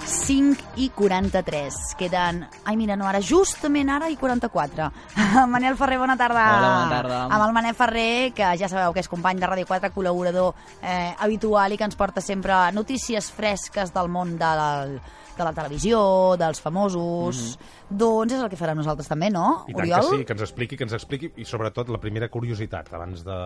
5:43. Queden... Ai, mira, no, ara, justament ara i 44. Manel Ferrer, bona tarda. Hola, bona tarda. Amb el Manel Ferrer, que ja sabeu que és company de Ràdio 4, col·laborador habitual i que ens porta sempre notícies fresques del món de la televisió, dels famosos... Doncs és el que farem nosaltres també, no, I tant Oriol? que sí, que ens expliqui, i sobretot la primera curiositat, abans de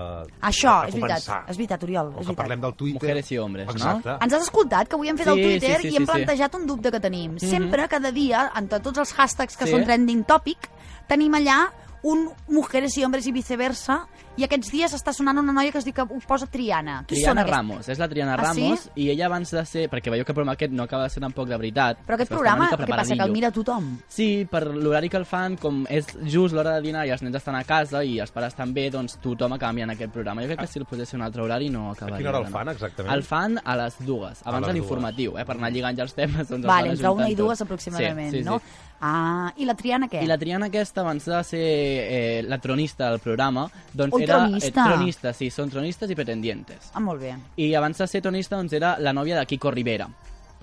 Això, de començar. és veritat, Oriol, Com és que veritat. parlem del Twitter... Mujeres i hombres, no? Exacte. Ens has escoltat, que avui hem fet el Sí, Twitter sí, i hem sí. plantejat un dubte que tenim. Sempre, cada dia, entre tots els hashtags que Sí. són trending topic, tenim allà un mujeres i hombres i viceversa, i aquests dies està sonant una noia que es diu que ho posa Triana. Qui són Triana aquests? Ramos, és la Triana Ah, sí? Ramos, i ella abans de ser... Perquè veieu que el programa aquest no acaba de ser tampoc de veritat. Però aquest està una programa, mica què passa, que el preparadillo. mira tothom? Sí, per l'horari que el fan, com és just l'hora de dinar i els nens estan a casa i els pares també, doncs tothom acaba mirant aquest programa. Jo crec que si el posés un altre horari no acabaria. A quina hora el d'anar. fan, exactament? El fan a les 2, abans de les l'informatiu, per anar lligant ja els temes. Doncs Vale, els entre van una i ajuntant dues tots. aproximadament, sí, sí, no? Sí. Ah, i la Triana què? I la Triana aquesta, abans de ser la tronista del programa, doncs Ui, era... tronista. Tronista, sí, són tronistes i pretendientes. Ah, molt bé. I abans de ser tronista, doncs era la nòvia de Kiko Rivera.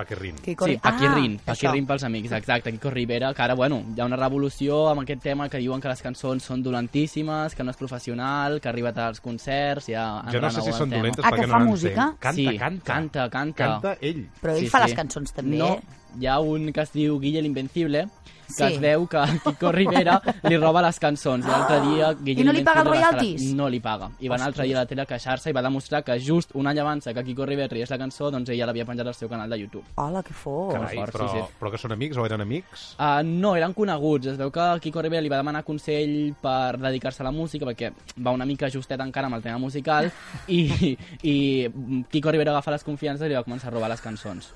Paquerrín. Sí, Paquirrin això. pels amics, exacte, Kiko Rivera, que ara, bueno, hi ha una revolució amb aquest tema que diuen que les cançons són dolentíssimes, que no és professional, que arriba tard als concerts, ja... Jo no sé si són dolentes Ah, que perquè fa no música? Canta, Sí, canta. canta. Canta ell. Però ell Sí, fa sí. les cançons també. No, hi ha un que es diu Guille l'Invencible, que Sí. es veu que Kiko Rivera li roba les cançons. I l'altre dia Guille I no li paga els l'Invencible va estar- royalties? No li paga. I va anar l'altre dia a la tele a queixar-se i va demostrar que just un any abans que Kiko Rivera tragués la cançó, doncs ella l'havia penjat al seu canal de YouTube. Hola, que fort. Carai, fort, però, sí, sí. però que són amics o eren amics? No, eren coneguts. Es veu que Kiko Rivera li va demanar consell per dedicar-se a la música, perquè va una mica justet encara amb el tema musical, i Kiko Rivera agafa les confiances i li va començar a robar les cançons.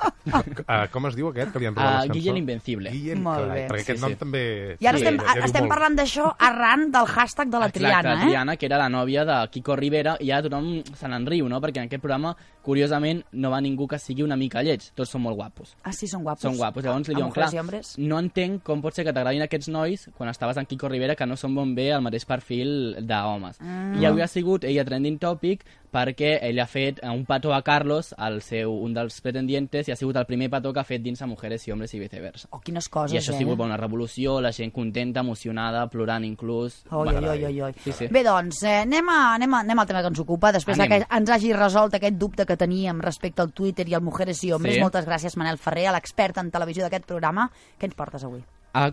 Com es diu aquest que li han robat les cançons? Guille l'Invencible. Guille, Molt carai, bé. perquè aquest Sí, nom sí. també... I ara Sí, estem, ja diu estem molt. parlant d'això arran del hashtag de la Triana, Exacte, la Triana, que era la nòvia de Kiko Rivera, i ja tothom se n'enriu, no? Perquè en aquest programa, curiosament, no va ningú que sigui una mica lleig. Tots són molt guapos. Ah, sí, són guapos. Són guapos. Llavors li A diuen, mujeres clar, i hombres. no entenc com pot ser que t'agradin aquests nois quan estaves en Kiko Rivera, que no són bon bé el mateix perfil d'homes. I avui ha sigut ella trending topic perquè ell ha fet un petó a Carlos, un dels pretendientes, i ha sigut el primer petó que ha fet dins a Mujeres i Hombres i viceversa. Oh, quines coses, I això ha sigut una revolució, la gent contenta, emocionada, plorant inclús. Oi, oi, oi, oi, oi. Sí, sí. Bé, doncs, anem al tema que ens ocupa, després Anem. que ens hagi resolt aquest dubte que teníem respecte al Twitter i al Mujeres i Hombres. Sí. Moltes gràcies, Manel Ferrer, l'expert en televisió d'aquest programa. Què ens portes avui?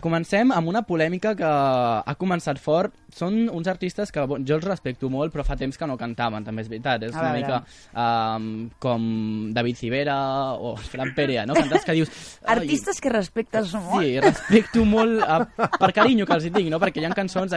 Comencem amb una polèmica que ha començat fort. Són uns artistes que jo els respecto molt, però fa temps que no cantaven, també és veritat. És A una veure. mica com David Civera o Fran Perea, no? Cantants que dius... "Ai, Artistes que respectes molt. Sí, respecto molt per carinyo que els hi tinc, no? Perquè hi ha cançons...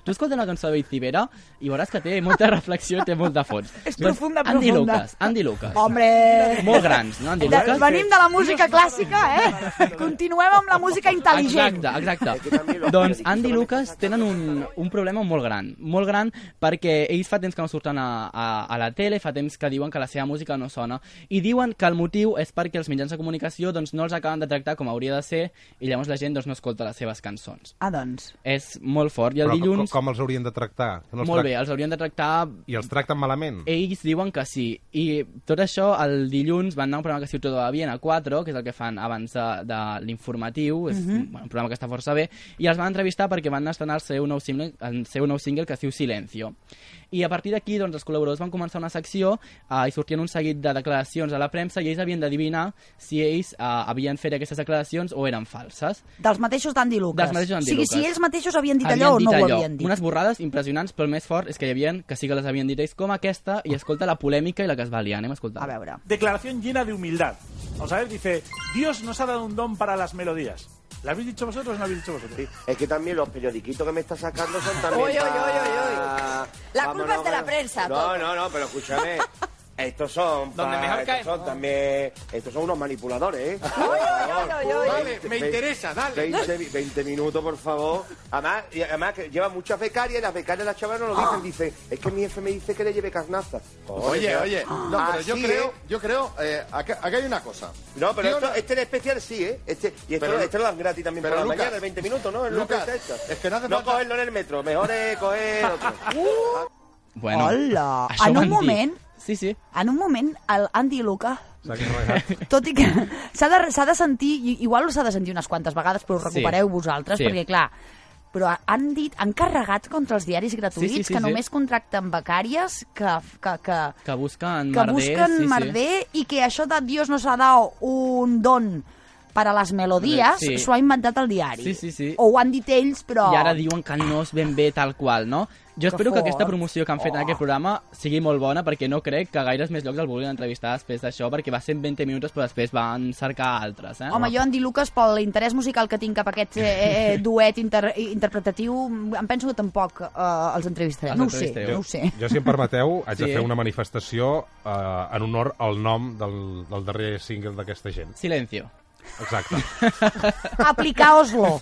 Tu escolta una cançó de David Civera i veuràs que té molta reflexió i té molt de fons. És profunda, Andy profunda. Andy Lucas. Hombre! Molt grans, no? Andy Lucas. Venim de la música clàssica, eh? Continuem amb la música intel·ligent. Exacte. Doncs Andy Lucas tenen un problema molt gran perquè ells fa temps que no surten a la tele, fa temps que diuen que la seva música no sona, i diuen que el motiu és perquè els mitjans de comunicació doncs, no els acaben de tractar com hauria de ser, i llavors la gent doncs, no escolta les seves cançons. Ah, doncs. És molt fort, i el Però dilluns... com els haurien de tractar? Que no els Molt trac- bé, els haurien de tractar... I els tracten malament? Ells diuen que sí. I tot això, el dilluns van anar a un programa que es diu Todo va bien a 4, que és el que fan abans de l'informatiu, és un programa que està força bé, i els van entrevistar perquè van estrenar el seu nou single que es diu Silencio. I a partir d'aquí, doncs, els col·laboradors van començar una secció i sortien un seguit de declaracions a la premsa i ells havien d'adivinar si ells havien fet aquestes declaracions o eren falses. Dels mateixos d'Andy Lucas. Dels mateixos d'Andy O sigui, Lucas. si ells mateixos havien dit allò o no ho havien dit. Unes borrades impressionants, però el més fort és que hi havia que sí que les havien dit ells com aquesta, i escolta la polèmica i la que es va liar. Anem a escoltar. A veure. Declaración llena de humildad. Vamos a ver, dice, Dios nos ha dado un don para las melodías. ¿La habéis dicho vosotros o no habéis dicho vosotros? Sí, es que también los periodiquitos que me está sacando son también... Uy, uy, uy, uy, uy. La Vámonos, culpa es de la pero- prensa, No, todo. no, pero escúchame. Estos son... Donde mejor estos caemos. son también... Estos son unos manipuladores, ¿eh? Vale, me interesa, dale. 20 minutos, por favor. Además que lleva muchas becarias y las becarias las chavales no lo dicen. Dicen, es que mi jefe me dice que le lleve carnaza. Oye, no, pero Así yo creo, aquí hay una cosa. No, pero Yo este en especial sí, ¿eh? Y Pero- este lo dan gratis también por pero, la Lucas, mañana, 20 minutos, ¿no? Es lo que Lucas, está hecho. es que no hace No falta- cogerlo en el metro, mejor es coger otro. Bueno, Hola! això En van un dir. moment, Sí, sí. el Andy Lucas S'ha carregat. Tot i que s'ha de sentir, igual s'ha de sentir unes quantes vegades, però ho recupereu vosaltres, perquè clar, però han carregat contra els diaris gratuïts que només contracten becàries que busquen merder i que això de Dios nos ha dado un don per a les melodies, s'ho ha inventat el diari. O ho han dit ells, però... I ara diuen que no és ben bé tal qual, no? Jo espero que aquesta promoció que han fet en aquest programa sigui molt bona, perquè no crec que gaires més llocs el vulguin entrevistar després d'això, perquè va ser 20 minuts, però després van cercar altres, eh? Home, jo, Andy Lucas, per l'interès musical que tinc cap a aquest duet interpretatiu, em penso que tampoc els entrevistaré. No ho sé. Jo, si em permeteu, haig de fer una manifestació en honor al nom del darrer single d'aquesta gent. Silencio. Exacte. Aplicaos-lo.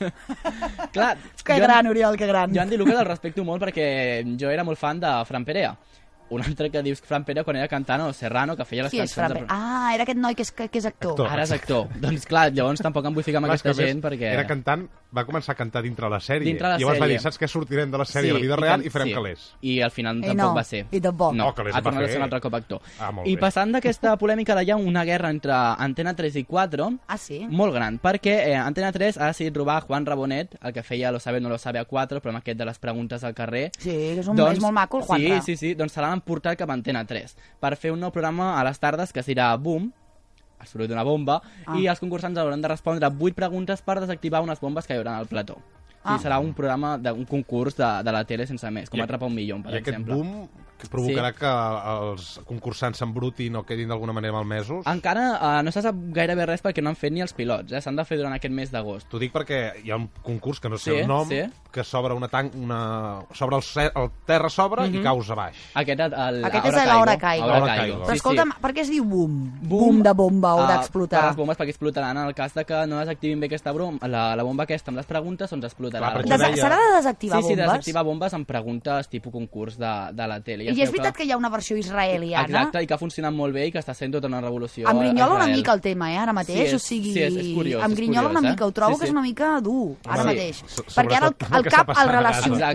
Clar, que gran, Oriol, que gran. Jo Andy Lucas el respecto molt perquè jo era molt fan de Fran Perea. Un altre que dius Fran Perea quan era cantant o Serrano, que feia les cançons... Era aquest noi que és actor. Ara és actor. Doncs clar, llavors tampoc em vull ficar amb aquesta gent perquè... Era cantant, va començar a cantar dintre la sèrie. I llavors va dir, saps què, sortirem de la sèrie a la vida real i farem calés. I al final tampoc va ser. I tampoc. No, ha tornat a ser un altre cop actor. I passant d'aquesta polèmica, hi ha una guerra entre Antena 3 i 4, molt gran, perquè Antena 3 ha decidit robar Juan Rabonet, el que feia Lo sabe no lo sabe a 4, però amb aquest de les preguntes al carrer. Sí, és molt maco el Juanra. Sí, doncs se l'han emportat cap a Antena 3 per fer un nou programa a les tardes que serà Boom, el soroll d'una bomba, i els concursants hauran de respondre 8 preguntes per desactivar unes bombes que hi haurà al plató. Serà un programa, un concurs de la tele sense més, com Atrapa un milió, per exemple. I aquest boom que provocarà que els concursants s'embrutin o quedin d'alguna manera malmesos? Encara no se sap gairebé res perquè no han fet ni els pilots, s'han de fer durant aquest mes d'agost. T'ho dic perquè hi ha un concurs que no sé el nom, que s'obre s'obre el terra s'obre i caus a baix. Aquest és l'Hora Caigo. Però escolta'm, per què es diu boom? Boom de bomba o d'explotar? Per les bombes, perquè explotaran en el cas que no desactivin bé aquesta la bomba aquesta amb les preguntes, doncs explotarà. S'ha de desactivar bombes? Sí, desactivar bombes amb preguntes tipus concurs de la tele. I és veritat que hi ha una versió israeliana? Exacte, i que ha funcionat molt bé i que està sent tota una revolució. Em grinyola una mica el tema, ara mateix. Sí, és curiós. Em grinyola una mica, ho trobo que és una mica dur, ara mateix. Perquè ara el cap el relaciona.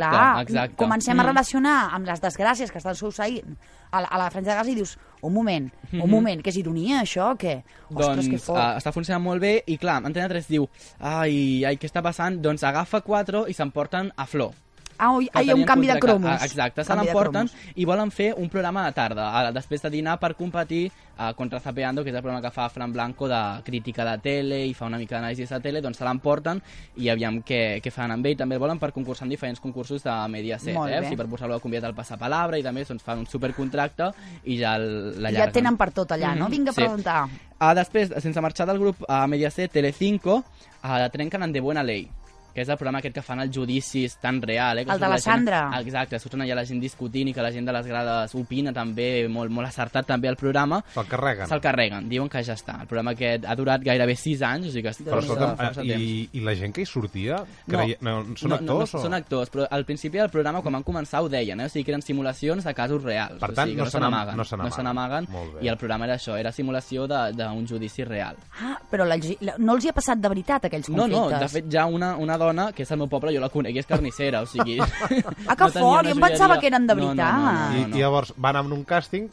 Clar, comencem a relacionar amb les desgràcies que estan succeint a la Franja de Gaza i dius, un moment, que és ironia això, o què? Ostres, que fort. Està funcionant molt bé i clar, Antena 3 diu, ai, què està passant? Doncs agafa 4 i s'emporten a Flor. Hi ha un canvi de cromos. Exacte, se l'emporten i volen fer un programa de tarda, després de dinar, per competir contra Zapeando, que és el programa que fa Fran Blanco de crítica de tele i fa una mica d'anàlisi de tele, doncs se l'emporten i aviam què fan amb ell. També el volen per concursar en diferents concursos de Mediaset, per posar-lo a convidat al Passapalabra i també fan un supercontracte i ja l'allarguen. Ja tenen per tot allà, no? Vinga a preguntar. Després, sense marxar del grup a Mediaset, Telecinco, trenquen en De Buena Ley, que és el programa aquest que fan els judicis tan real. El de la Sandra. Exacte, surten allà la gent discutint i que la gent de les grades opina també, molt acertat també el programa. Se'l carreguen, diuen que ja està. El programa aquest ha durat gairebé 6 anys, o sigui que però i la gent que hi sortia? Són actors? No, són actors, però al principi del programa, quan van començar, ho deien, o sigui que eren simulacions de casos reals. Per tant, no se n'amaguen. I el programa era això, era simulació d'un judici real. Però no els hi ha passat de veritat aquells conflictes? No, de fet ja una dona que és el meu poble, jo la conec, és carnissera, o sigui... Que fort, jo em pensava que eren de veritat. I llavors van amb un càsting,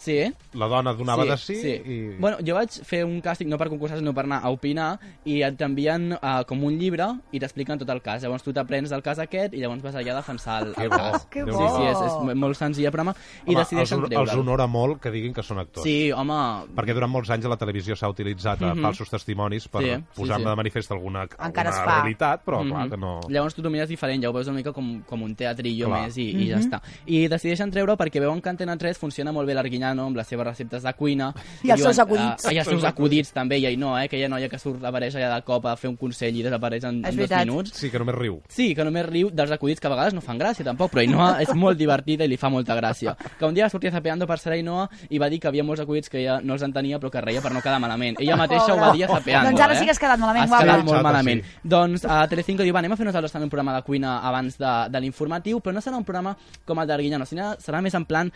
la dona donava de sí i... Bueno, jo vaig fer un càsting no per concursar, sinó per anar a opinar, i t'envien com un llibre i t'expliquen tot el cas. Llavors tu t'aprens del cas aquest i llavors vas allà a defensar el cas. Que bo! Sí, és molt senzill el programa i decideixen treure'l. Els honora molt que diguin que són actors. Sí, home... Perquè durant molts anys a la televisió s'ha utilitzat falsos testimonis per posar-ne de manifest alguna realitat, però clar que no... Llavors tu t'ho mires diferent, ja ho veus una mica com un teatrillo més i ja està. I decideixen treure perquè veuen que Antena 3 funciona molt bé l'Arguiñano amb les seves receptes de cuina. I els seus acudits. I els seus acudits també, i no, aquella noia que apareix allà de cop a fer un consell i desapareix en 2 minuts. Sí, que només riu. Sí, que només riu dels acudits que a vegades no fan gràcia tampoc, però Ainhoa és molt divertida i li fa molta gràcia. Que un dia sortia Zapeando per ser Ainhoa i va dir que havia molts acudits que ella no els entenia però que reia per no quedar malament. Ella mateixa ho va dir a Zapeando. Doncs ara sí que has quedat malament, guapa. Has quedat molt malament. Doncs a Telecinco diu, anem a fer nosaltres també un programa de cuina abans de l'informatiu, però no serà un programa com el d'Arguiñano, sinó serà més en plan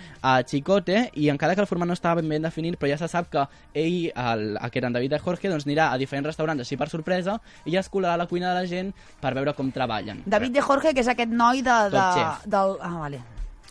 Chicote, i encara que el format no estava ben definit, però ja se sap que ell, que era en David de Jorge, doncs anirà a diferents restaurants així per sorpresa i ja es colarà a la cuina de la gent per veure com treballen. David de Jorge, que és aquest noi del... Top Chef. Vale.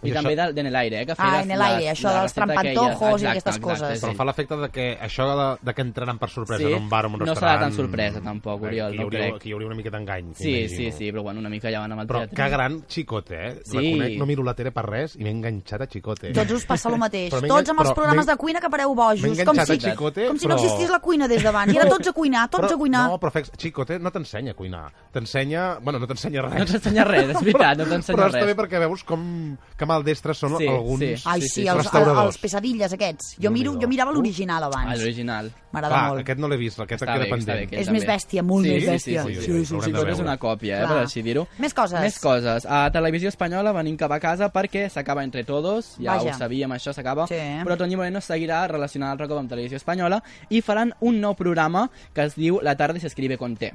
I també de En el Aire, que feia En el Aire, això dels trampantojos i aquestes coses. Però fa l'efecte que això de que entraran per sorpresa en un bar o un restaurant... No serà tan sorpresa, tampoc, Oriol, no crec. Aquí hi hauria una mica d'engany. Sí, però bueno, una mica ja van amb el teatre. Però que gran Chicote, Reconec, no miro la tele per res i m'he enganxat a Chicote. Tots us passa el mateix. Tots amb els programes de cuina que pareu bojos. M'he enganxat a Chicote, com si no existís la cuina des d'abans. I ara tots a cuinar, tots a cuinar. No, però Chicote no t'ensenya a cuinar. T'ensenya... Bueno, no t'ensenya res. No t'ensenya res, és veritat, no t'ensenya res. Però està bé perquè veus que maldestres són alguns els pesadilles aquests. Jo mirava l'original abans. L'original. M'agrada molt. Aquest no l'he vist, aquest queda pendent. És més bèstia, molt més bèstia. Sí, és una còpia, per així dir-ho. Més coses. A Televisió Espanyola venim cap a casa perquè s'acaba Entre Todos, ja ho sabíem, això s'acaba, però Toñi Moreno seguirà relacionant el Recopa amb Televisió Espanyola i faran un nou programa que es diu La tarde se escribe con T.